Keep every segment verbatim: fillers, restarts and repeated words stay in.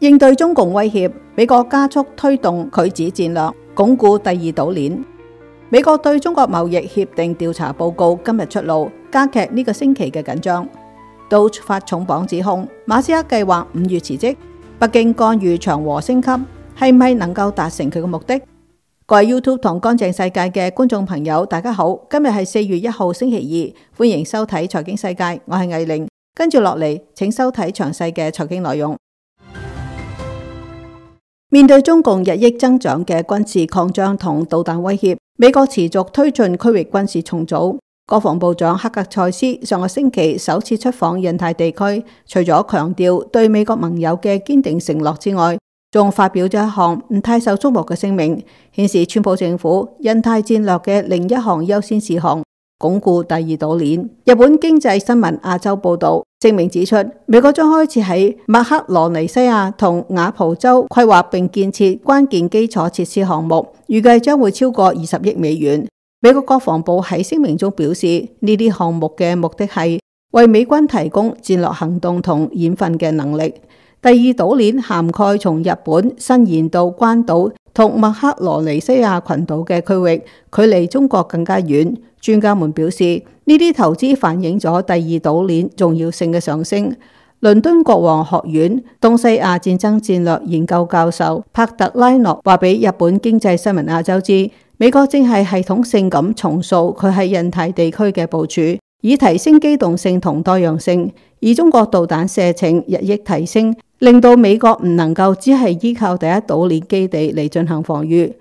應對中共威脅，美國加速推動拒止戰略，鞏固第二島鏈。美國對中國貿易協定調查報告今日出爐，加劇呢個星期嘅緊張。道發重磅指控，馬斯克計劃五月辭職，北京干預長和升級，係咪能夠達成佢嘅目的？各位 YouTube 同乾淨世界嘅觀眾朋友，大家好，今日係四月一號星期二，歡迎收睇財經世界，我係藝玲，跟住落嚟，請收睇詳細嘅財經內容。面對中共日益增長嘅軍事擴張同導彈威脅，美國持續推進區域軍事重組。國防部長克格塞斯上個星期首次出訪印太地區，除咗強調對美國盟友嘅堅定承諾之外，仲發表咗一項唔太受矚目嘅聲明，顯示川普政府印太戰略嘅另一項優先事項，鞏固第二島鏈。日本經濟新聞亞洲報道，聲明指出，美國將開始喺麥克羅尼西亞同瓦蒲州規劃並建設關鍵基礎設施項目，預計將會超過二十億美元。美國國防部喺聲明中表示，呢啲項目嘅目的係為美軍提供戰略行動同演訓嘅能力。第二島鏈涵蓋從日本伸延到關島同麥克羅尼西亞群島嘅區域，距離中國更加遠。專家們表示，呢啲投資反映咗第二島鏈重要性嘅上升。倫敦國王學院東西亞戰爭戰略研究教授帕特拉諾話俾日本經濟新聞亞洲知，美國正係系統性咁重塑佢喺印太地區嘅部署，以提升機動性同多樣性。而中國導彈射程日益提升，令到美國唔能夠只係依靠第一島鏈基地嚟進行防禦。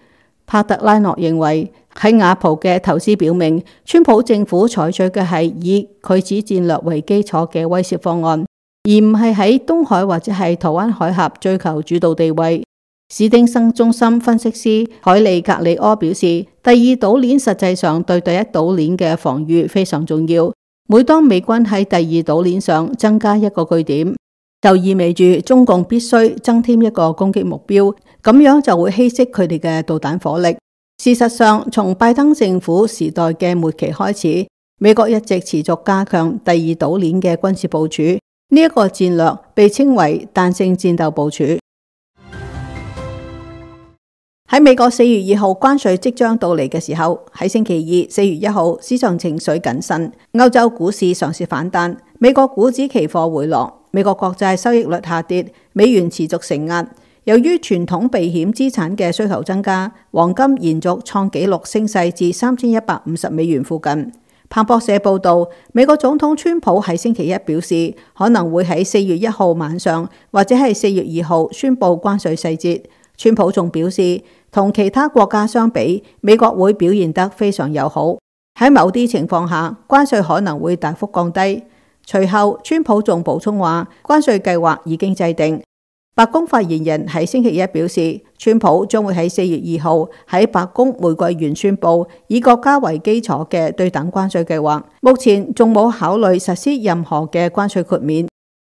帕特拉諾認為，喺瓦蒲嘅投資表明，川普政府採取嘅係以拒止戰略為基礎嘅威懾方案，而唔係喺東海或者係台灣海峽追求主導地位。史丁生中心分析師海利格里柯表示，第二島鏈實際上對第一島鏈嘅防禦非常重要。每當美軍喺第二島鏈上增加一個據點，就意味住中共必須增添一個攻擊目標，咁樣就會稀釋佢哋嘅導彈火力。事實上，從拜登政府時代嘅末期開始，美國一直持續加強第二島鏈嘅軍事部署，呢一個戰略被稱為彈性戰鬥部署。喺美國四月二號關稅即將到嚟嘅時候，喺星期二四月一號市場情緒謹慎，歐洲股市嘗試反彈，美國股指期貨回落，美國國債收益率下跌，美元持續承壓。由於傳統避險資產嘅需求增加，黃金延續創紀錄升勢至三千一百五十美元附近。彭博社報道，美國總統川普喺星期一表示，可能會喺四月一號晚上或者係四月二號宣布關稅細節。川普仲表示，同其他國家相比，美國會表現得非常友好。喺某啲情況下，關稅可能會大幅降低。隨後，川普仲補充話，關稅計劃已經制定。白宮發言人喺星期一表示，川普將會喺四月二號喺白宮玫瑰園宣布以國家為基礎嘅對等關稅計劃。目前仲冇考慮實施任何嘅關稅豁免。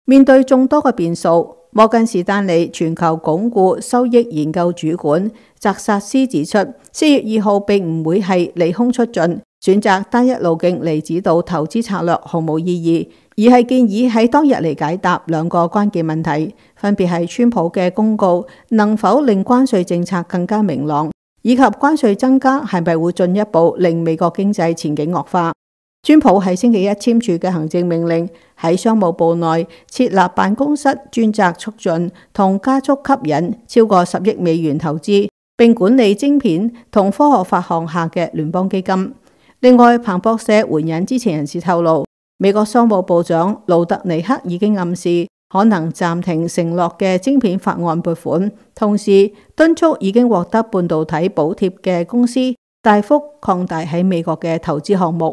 面對眾多嘅變數，摩根士丹利全球鞏固收益研究主管澤薩斯指出，四月二號並唔會係利空出盡，選擇單一路徑嚟指導投資策略毫無意義，而係建議喺當日嚟解答兩個關鍵問題，分別係川普嘅公告能否令關稅政策更加明朗，以及關稅增加係咪會進一步令美國經濟前景惡化。川普喺星期一簽署嘅行政命令，喺商務部內設立辦公室，專責促進同加速吸引超過十億美元投資，並管理晶片同科學法項下嘅聯邦基金。另外，彭博社援引知情人士透露，美國商務部長盧特尼克已經暗示可能暫停承諾嘅晶片法案撥款，同時敦促已經獲得半導體補貼嘅公司大幅擴大喺美國嘅投資項目。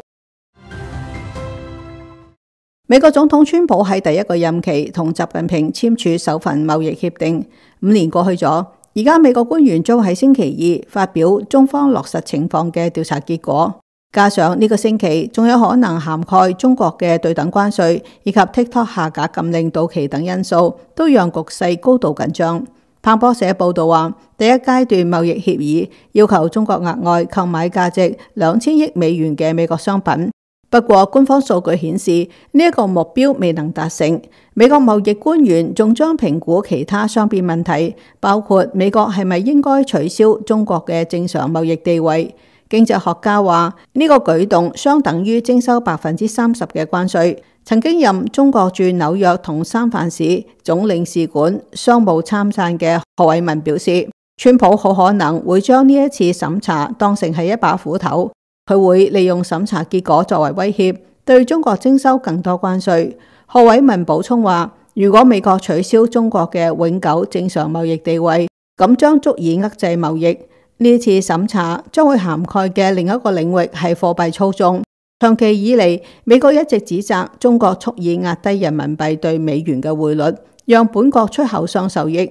美國總統川普喺第一個任期同習近平簽署首份貿易協定，五年過去咗，而家美國官員將喺星期二發表中方落實情況嘅調查結果，加上呢個星期仲有可能涵蓋中國嘅對等關稅以及 TikTok 下架禁令到期等因素，都讓局勢高度緊張。彭博社報道話，第一階段貿易協議要求中國額外購買價值兩千億美元嘅美國商品，不過官方數據顯示呢一個目標未能達成。美國貿易官員仲將評估其他雙邊問題，包括美國係咪應該取消中國嘅正常貿易地位。經濟學家話呢個舉動相等於徵收百分之三十嘅關稅。曾經任中國駐紐約同三藩市總領事館商務參贊嘅何偉文表示，川普好可能會將呢一次審查當成係一把斧頭，佢會利用審查結果作為威脅，對中國徵收更多關稅。何偉文補充話，如果美國取消中國嘅永久正常貿易地位，咁將足以遏制貿易。呢次審查將會涵蓋嘅另一個領域係貨幣操縱。長期以嚟，美國一直指責中國蓄意壓低人民幣對美元嘅匯率，讓本國出口商受益。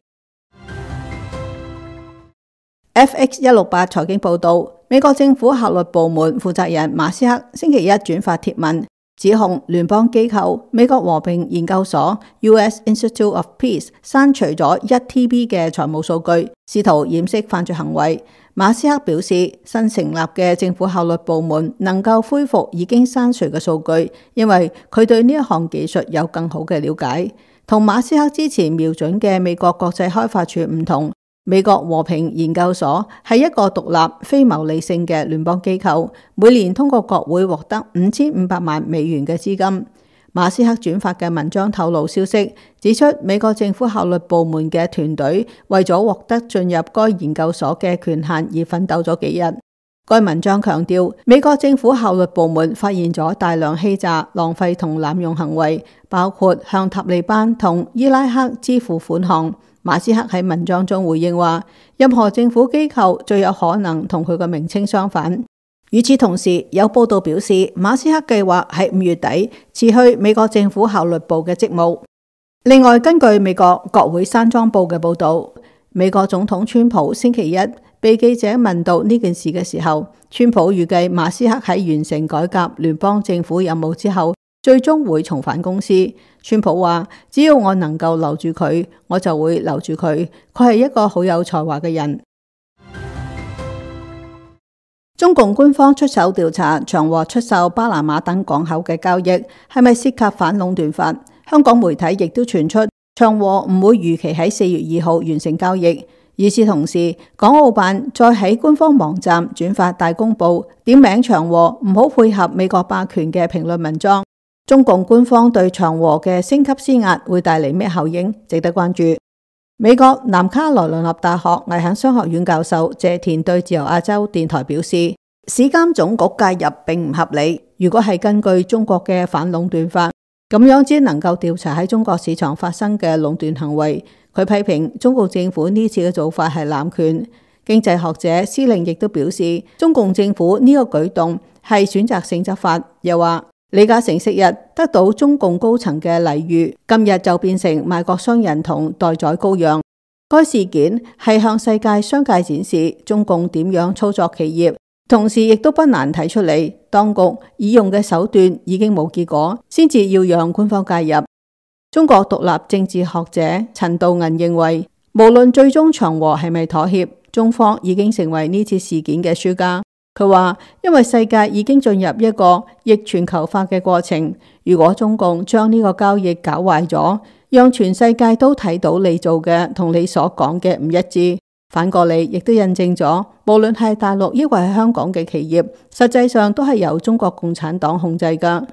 F X 一六八財經報道，美國政府效率部門負責人馬斯克星期一轉發貼文，指控聯邦機構美國和平研究所 U S Institute of Peace 刪除咗一 T B 嘅財務數據，試圖掩飾犯罪行為。馬斯克表示，新成立嘅政府效率部門能夠恢復已經刪除嘅數據，因為佢對呢一項技術有更好嘅了解。同馬斯克之前瞄準嘅美國國際開發署唔同，美國和平研究所係一個獨立非牟利性嘅聯邦機構，每年通過國會獲得五千五百萬美元嘅資金。馬斯克轉發嘅文章透露消息，指出美國政府效率部門嘅團隊為咗獲得進入該研究所嘅權限而奮鬥咗幾日。該文章強調，美國政府效率部門發現咗大量欺詐、浪費同濫用行為，包括向塔利班同伊拉克支付款項。馬斯克喺文章中回應話，任何政府機構最有可能同佢嘅名稱相反。與此同時，有報道表示，馬斯克計劃喺五月底辭去美國政府效率部嘅職務。另外，根據美國國會山莊報嘅報道，美國總統川普星期一被記者問到呢件事嘅時候，川普預計馬斯克喺完成改革聯邦政府任務之後，最終會重返公司。川普話，只要我能夠留住佢，我就會留住佢。佢係一個好有才華嘅人。中共官方出手調查長和出售巴拿馬等港口嘅交易係咪涉及反壟斷法。香港媒體亦都傳出長和唔會如期喺四月二號完成交易。與此同時，港澳辦再喺官方網站轉發大公報，點名長和唔好配合美國霸權嘅評論文章。中共官方對長和嘅升級施壓會帶嚟咩效應，值得關注。美國南卡羅來納大學危險商學院教授謝田對自由亞洲電台表示，市監總局介入並唔合理。如果係根據中國嘅反壟斷法，咁樣只能夠調查喺中國市場發生嘅壟斷行為。佢批評中共政府呢次嘅做法係濫權。經濟學者施令亦都表示，中共政府呢個舉動係選擇性執法。又話李嘉誠昔日得到中共高層嘅禮遇，今日就變成賣國商人同待宰羔羊。該事件係向世界商界展示中共點樣操作企業，同時亦都不難睇出嚟，當局已用嘅手段已經冇結果，先至要讓官方介入。中國獨立政治學者陳道銀認為，無論最終長和係咪妥協，中方已經成為呢次事件嘅輸家。佢話，因為世界已經進入一個逆全球化嘅過程，如果中共將呢個交易搞壞咗，讓全世界都睇到你做嘅同你所講嘅唔一致，反過嚟亦都印證咗，無論係大陸抑或係香港嘅企業，實際上都係由中國共產黨控制㗎。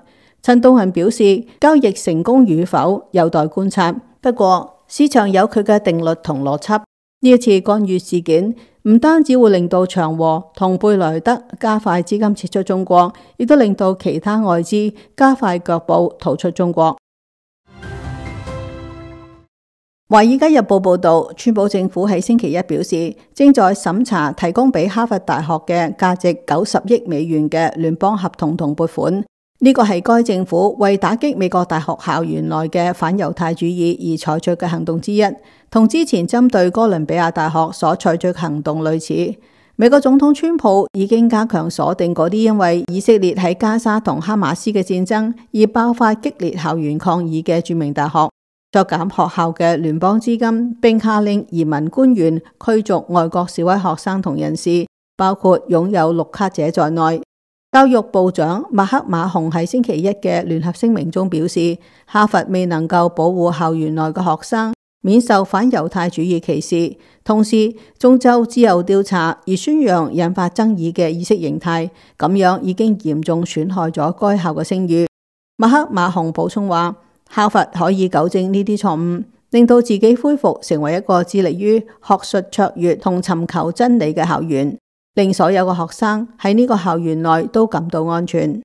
陳道恒表示，交易成功與否有待觀察，不過市場有佢嘅定律同邏輯。呢一次干預事件唔單止會令到長和同貝萊德加快資金撤出中國，亦都令到其他外資加快腳步逃出中國。華爾街日報報道，川普政府喺星期一表示，正在審查提供俾哈佛大學嘅價值九十億美元嘅聯邦合同同撥款。呢個係該政府為打擊美國大學校園內嘅反猶太主義而採取嘅行動之一，同之前針對哥倫比亞大學所採取嘅行動類似。美國總統川普已經加強鎖定嗰啲因為以色列喺加沙同哈馬斯嘅戰爭而爆發激烈校園抗議嘅著名大學，削減學校嘅聯邦資金，並下令移民官員驅逐外國示威學生同人士，包括擁有綠卡者在內。教育部長麥克馬洪喺星期一嘅聯合聲明中表示，哈佛未能夠保護校園內嘅學生免受反猶太主義歧視，同時仲就自由調查而宣揚引發爭議嘅意識形態，咁樣已經嚴重損害咗該校嘅聲譽。麥克馬洪補充話，哈佛可以糾正呢啲錯誤，令到自己恢復成為一個致力於學術卓越同尋求真理嘅校園，令所有嘅學生喺呢個校園內都感到安全。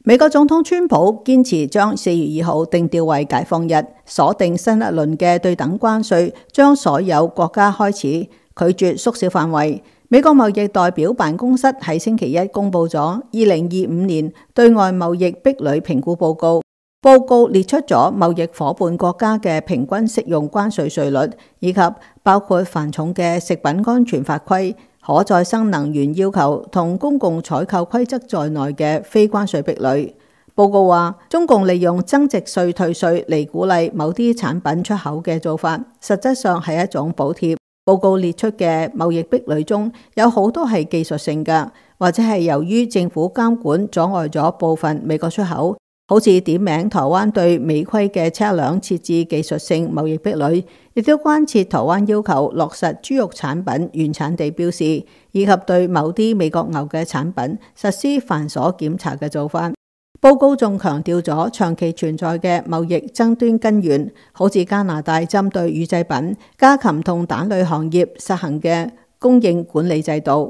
美國總統川普堅持將四月二號定調為解放日，鎖定新一輪嘅對等關稅，將所有國家開始，拒絕縮小範圍。美國貿易代表辦公室喺星期一公布咗二零二五年對外貿易壁壘評估報告，報告列出咗貿易夥伴國家嘅平均適用關稅稅率，以及包括繁重嘅食品安全法規、可再生能源要求同公共採購規則在內嘅非關稅壁壘。報告話，中共利用增值稅退稅嚟鼓勵某啲產品出口嘅做法，實質上係一種補貼。報告列出嘅貿易壁壘中有好多係技術性嘅，或者係由於政府監管阻礙咗部分美國出口，好似點名台灣對美規嘅車輛設置技術性貿易壁壘，亦都關切台灣要求落實豬肉產品原產地標示，以及對某啲美國牛嘅產品實施繁瑣檢查嘅做法。報告仲強調咗長期存在嘅貿易爭端根源，好似加拿大針對乳製品、家禽同蛋類行業實行嘅供應管理制度。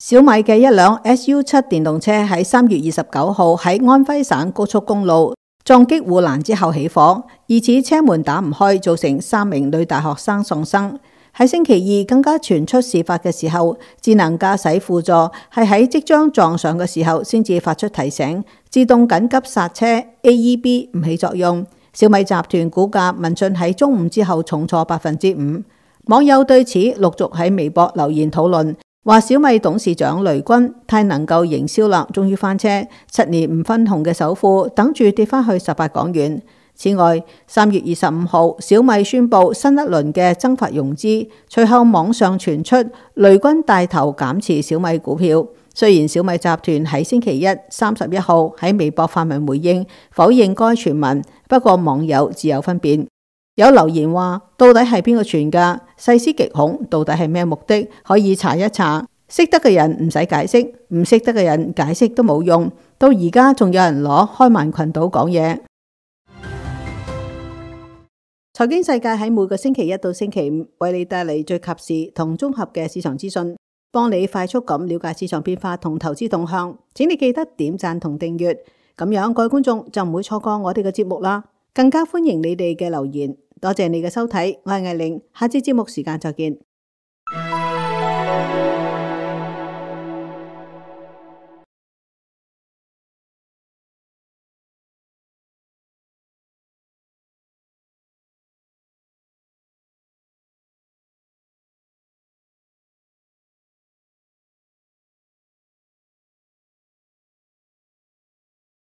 小米嘅一輛 S U 七 電動車喺三月二十九號喺安徽省高速公路撞擊護欄之後起火，疑似車門打唔開，造成三名女大學生喪生。喺星期二更加傳出事發嘅時候，智能駕駛輔助係喺即將撞上嘅時候先至發出提醒，自動緊急剎車 A E B 唔起作用。小米集團股價聞訊喺中午之後重挫百分之五，網友對此陸續喺微博留言討論，話小米董事長雷軍太能夠營銷啦，終於翻車，七年唔分紅嘅首富等住跌翻去十八港元。此外，三月二十五號，小米宣布新一輪嘅增發融資，隨後網上傳出雷軍帶頭減持小米股票。雖然小米集團喺星期一三十一號喺微博發文回應，否認該傳聞，不過網友自有分辨。有留言話：到底係邊個傳㗎？細思極恐，到底係咩目的？可以查一查。識得嘅人唔使解釋，唔識得嘅人解釋都冇用。到而家仲有人攞開曼群島講嘢。財經世界喺每個星期一到星期五為你帶嚟最及時同綜合嘅市場資訊，幫你快速咁了解市場變化同投資動向。請你記得點讚同訂閱，咁樣各位觀眾就唔會錯過我哋嘅節目啦。更加歡迎你哋嘅留言。多謝你嘅收睇，我係艾玲，下次節目時間再見。